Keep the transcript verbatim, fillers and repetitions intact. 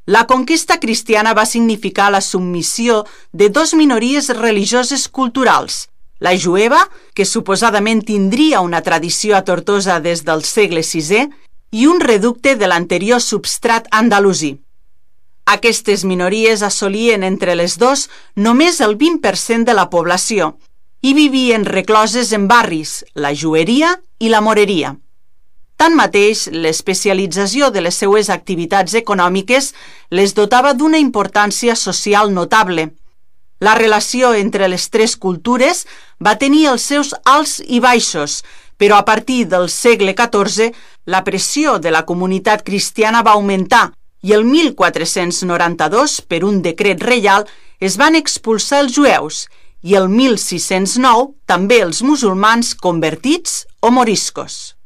La conquesta cristiana va significar la submissió de dos minories religioses culturals, la jueva, que suposadament tindria una tradició a Tortosa des del segle sisè, i un reducte de l'anterior substrat andalusí. Aquestes minories assolien entre les dos només el vint per cent de la població i vivien recloses en barris, la jueria i la moreria. Tanmateix, l'especialització de les seues activitats econòmiques les dotava d'una importància social notable. La relació entre les tres cultures va tenir els seus alts i baixos, però a partir del segle catorze la pressió de la comunitat cristiana va augmentar i el mil quatre-cents noranta-dos, per un decret reial, es van expulsar els jueus i el mil sis-cents nou també els musulmans convertits o moriscos.